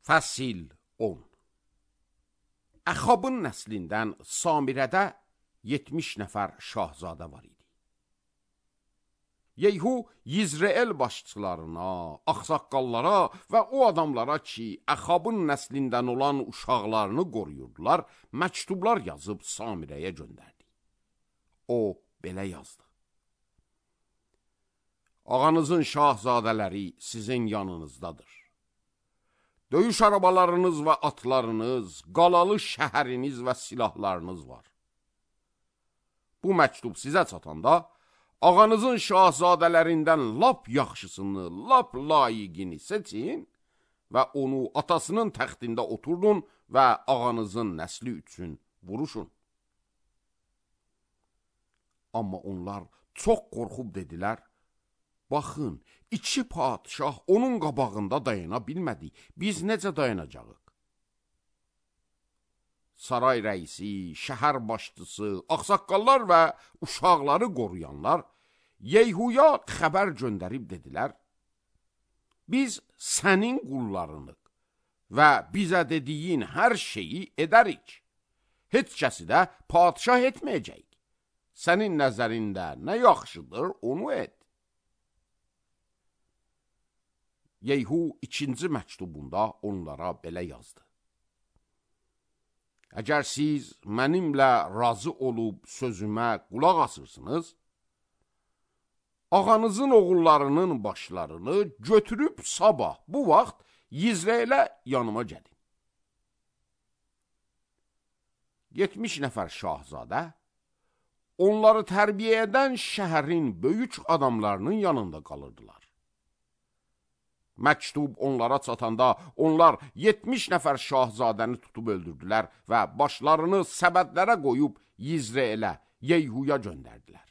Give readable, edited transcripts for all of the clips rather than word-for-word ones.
Fəsil 10. Əxabın nəslindən Samirədə 70 nəfər şahzadə var idi. Yeyhu Yizreel başçılarına, axsaqqallara və o adamlara ki, Əxabın nəslindən olan uşaqlarını qoruyurdular, məktublar yazıb Samirəyə göndərdi. O belə yazdı: Ağanızın şahzadələri sizin yanınızdadır. Döyüş arabalarınız və atlarınız, qalalı şəhəriniz və silahlarınız var. Bu məktub sizə çatanda, ağanızın şahzadələrindən lap yaxşısını, lap layiqini seçin və onu atasının təxtində oturdun və ağanızın nəsli üçün vuruşun. Amma onlar çox qorxub dedilər: Baxın, iki padişah onun qabağında dayana bilmədi. Biz necə dayanacağıq? Saray rəisi, şəhər başçısı, axsaqqallar və uşaqları qoruyanlar Yeyhuya xəbər göndərib dedilər: Biz sənin qullarınıq və bizə dediyin hər şeyi edərik. Heç kəsi də padişah etməyəcək. Sənin nəzərində nə yaxşıdır, onu et. Yeyhu ikinci məktubunda onlara belə yazdı: Əgər siz mənimlə razı olub sözümə qulaq asırsınız, ağanızın oğullarının başlarını götürüb sabah bu vaxt Yizreelə yanıma gəlin. 70 nəfər şahzadə onları tərbiyə edən şəhərin böyük adamlarının yanında qalırdılar. Məktub onlara çatanda onlar 70 nəfər şahzadəni tutub öldürdülər və başlarını səbədlərə qoyub Yizreelə, Yeyhuya göndərdilər.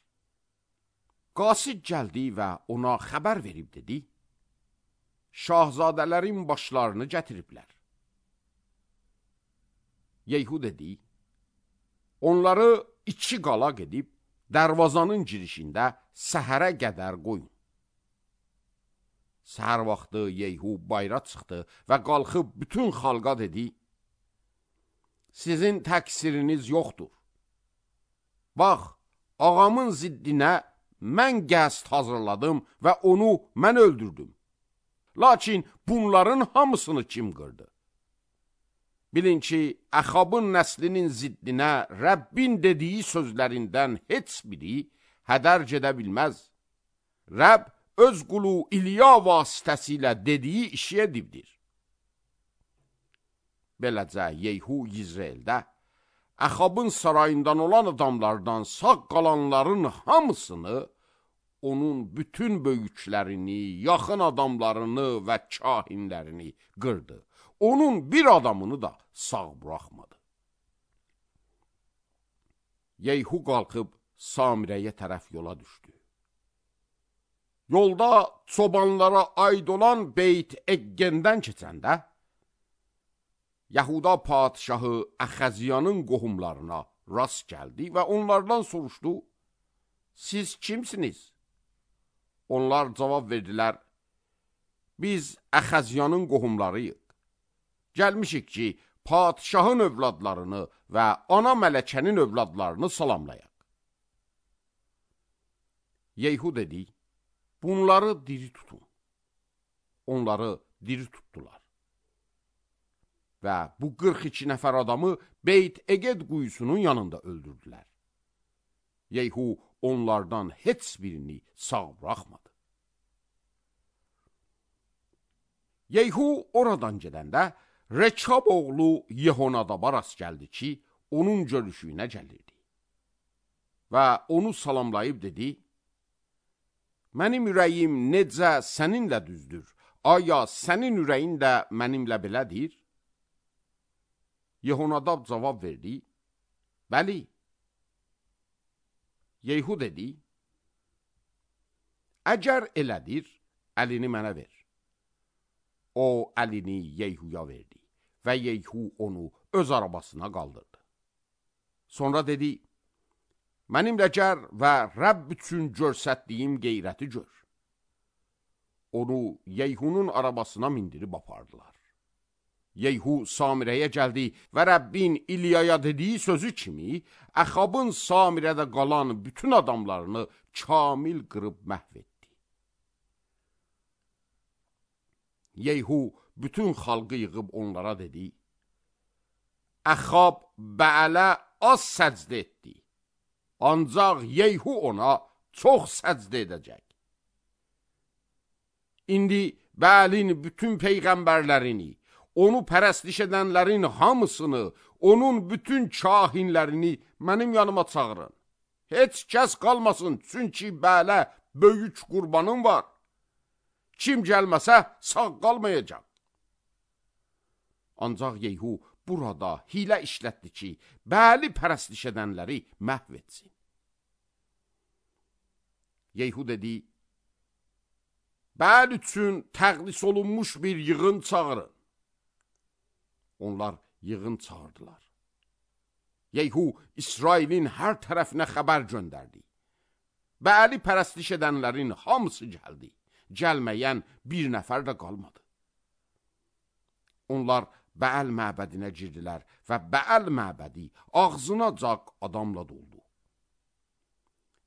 Qasid gəldi və ona xəbər verib dedi: Şahzadələrin başlarını gətiriblər. Yeyhu dedi: Onları 2 qalaq edib dərvazanın girişində səhərə qədər qoyun. Səhər vaxtı Yeyhu bayra çıxdı və qalxıb bütün xalqa dedi: Sizin təqsiriniz yoxdur. Bax, ağamın ziddinə mən qəsd hazırladım və onu mən öldürdüm. Lakin bunların hamısını kim qırdı? Bilin ki, Əxabın nəslinin ziddinə Rəbbin dediyi sözlərindən heç biri hədər gedə bilməz. Rəbb öz qulu İlya vasitəsilə dediyi işi edibdir. Beləcə, Yeyhu Yizreeldə Əxabın sarayından olan adamlardan sağ qalanların hamısını, onun bütün böyüklərini, yaxın adamlarını və kahinlərini qırdı. Onun bir adamını da sağ buraxmadı. Yeyhu qalxıb Samirəyə tərəf yola düşdü. Yolda çobanlara aid olan Beyt Eqqendən keçəndə, Yahuda padişahı Əxəziyanın qohumlarına rast gəldi və onlardan soruşdu: Siz kimsiniz? Onlar cavab verdilər: Biz Əxəziyanın qohumlarıyıq. Gəlmişik ki, padişahın övladlarını və ana mələkənin övladlarını salamlayaq. Yeyhu dedi: Bunları diri tutun. Onları diri tutdular. Və bu 42 nəfər adamı Beyt Eqed quyusunun yanında öldürdülər. Yeyhu onlardan heç birini sağ buraxmadı. Yeyhu oradan gedəndə Rekab oğlu Yehonadaba rast gəldi ki, onun görüşüyünə gəlirdi. Və onu salamlayıb dedi: Mənim ürəyim necə səninlə düzdür? Aya sənin ürəyin də mənimlə belədir? Yehonadab cavab verdi: Bəli. Yeyhu dedi: Əgər elədir, əlini mənə ver. O əlini Yeyhuya verdi və Yeyhu onu öz arabasına qaldırdı. Sonra dedi: Mənimlə gəl və Rəbb üçün görsətdiyim qeyrəti gör. Onu Yeyhunun arabasına mindirib apardılar. Yeyhu Samirəyə gəldi və Rəbbin İlyaya dediyi sözü kimi Əxabın Samirədə qalan bütün adamlarını kamil qırıb məhv etdi. Yeyhu bütün xalqı yığıb onlara dedi: Əxab Bəələ az səcdə etdi, ancaq Yeyhu ona çox səcdə edəcək. İndi Bəəlin bütün peyğəmbərlərini, onu pərəstiş edənlərin hamısını, onun bütün kahinlərini mənim yanıma çağırın. Heç kəs qalmasın, çünki Bəələ böyük qurbanım var. Kim gəlməsə sağ qalmayacaq. Ancaq Yeyhu burada hilə işlətdi ki, Bəəli pərəstiş edənləri məhv etsin. Yeyhu dedi: Bəəl üçün təqdis olunmuş bir yığın çağırın. Onlar yığın çağırdılar. Yeyhu İsrailin hər tərəfinə xəbər göndərdi. Bəəli pərəstiş edənlərin hamısı gəldi. Gəlməyən bir nəfər də qalmadı. Onlar Bəəl məbədinə girdilər və Bəəl məbədi ağzınacaq adamla doldu.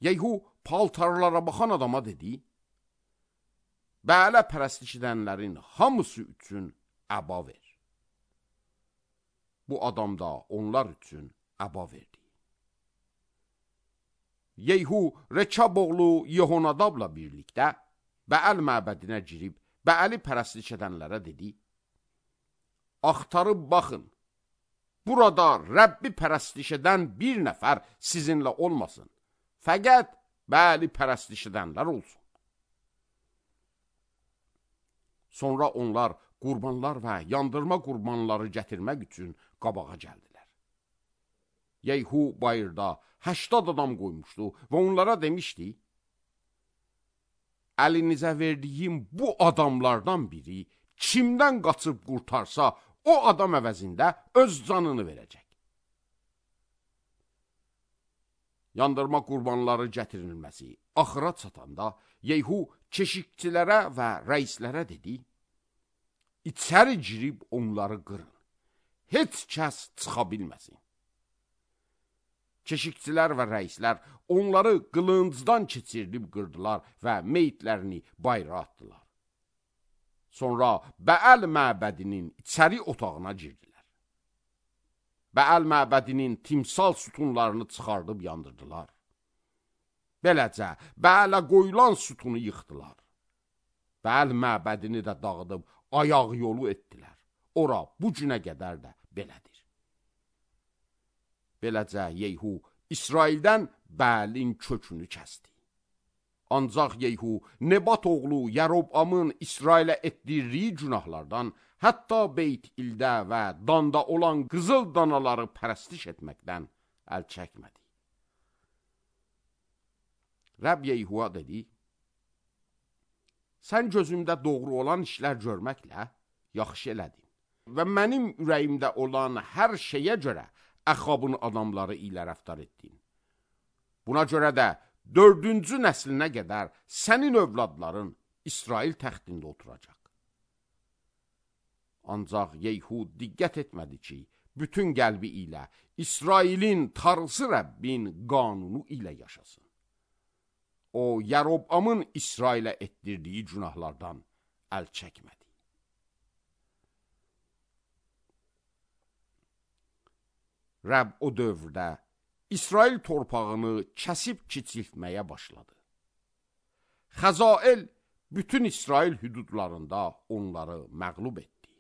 Yeyhu paltarlara baxan adama dedi: Bəələ pərəstiş edənlərin hamısı üçün əba ver. Bu adam da onlar üçün əba verdi. Yeyhu Rekab oğlu Yehonadabla birlikdə Bəəl məbədinə girib Bəəli pərəstiş edənlərə dedi: Axtarıb baxın, burada Rəbbi pərəstiş edən bir nəfər sizinlə olmasın, fəqət Bəəli pərəstiş edənlər olsun. Sonra onlar qurbanlar və yandırma qurbanları gətirmək üçün qabağa gəldilər. Yeyhu bayırda 80 adam qoymuşdu və onlara demişdi: Əlinizə verdiyim bu adamlardan biri kimdən qaçıb qurtarsa, o adam əvəzində öz canını verəcək. Yandırma qurbanları gətirilməsi axıra çatanda Yeyhu keşikçilərə və rəislərə dedi: İçəri girib onları qırın, heç kəs çıxa bilməsin. Keşikçilər və rəislər onları qılıncdan keçirilib qırdılar və meyitlərini bayıra atdılar. Sonra Bəəl məbədinin içəri otağına girdilər. Bəəl məbədinin timsal sütunlarını çıxardıb yandırdılar. Beləcə Bəələ qoyulan sütunu yıxdılar. Bəəl məbədini də dağıdıb ayaq yolu etdilər. Ora bu günə qədər də belədir. Beləcə Yeyhu İsraildən Bəəlin kökünü kəsdi. Ancaq Yeyhu Nebat oğlu Yərobamın İsrailə etdirdiyi günahlardan, hətta Beyt İldə və Danda olan qızıl danaları pərəstiş etməkdən əl çəkmədi. Rəbb Yeyhuya dedi: Sən gözümdə doğru olan işlər görməklə yaxşı elədin və mənim ürəyimdə olan hər şeyə görə Əxabın adamları ilə rəftar etdin. Buna görə də 4-cü nəslinə qədər sənin övladların İsrail təxtində oturacaq. Ancaq Yeyhu diqqət etmədi ki, bütün qəlbi ilə İsrailin Tanrısı Rəbbin qanunu ilə yaşasın. O, Yərobamın İsrailə etdirdiyi günahlardan əl çəkmədi. Rəbb o dövrdə İsrail torpağını kəsib kiçiltməyə başladı. Xəzael bütün İsrail hüdudlarında onları məğlub etdi.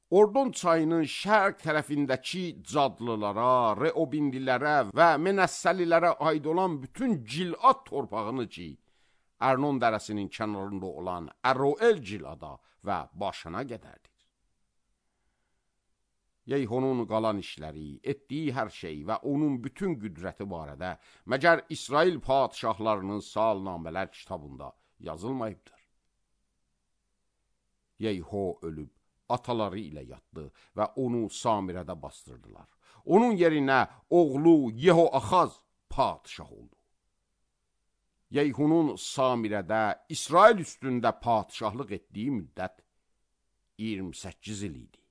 Ordon çayının şərq tərəfindəki cadlılara, Reobinlilərə və Menəssəlilərə aid olan bütün Gilad torpağını ki, Ərnon dərəsinin kənarında olan Əroel Gilada və başına qədərdir. Yeyhunun qalan işləri, etdiyi hər şey və onun bütün qüdrəti barədə məgər İsrail padişahlarının salnamələr kitabında yazılmayıbdır. Yeyhu ölüb, ataları ilə yatdı və onu Samirədə bastırdılar. Onun yerinə oğlu Yehoaxaz padişah oldu. Yeyhunun Samirədə İsrail üstündə padişahlıq etdiyi müddət 28 il idi.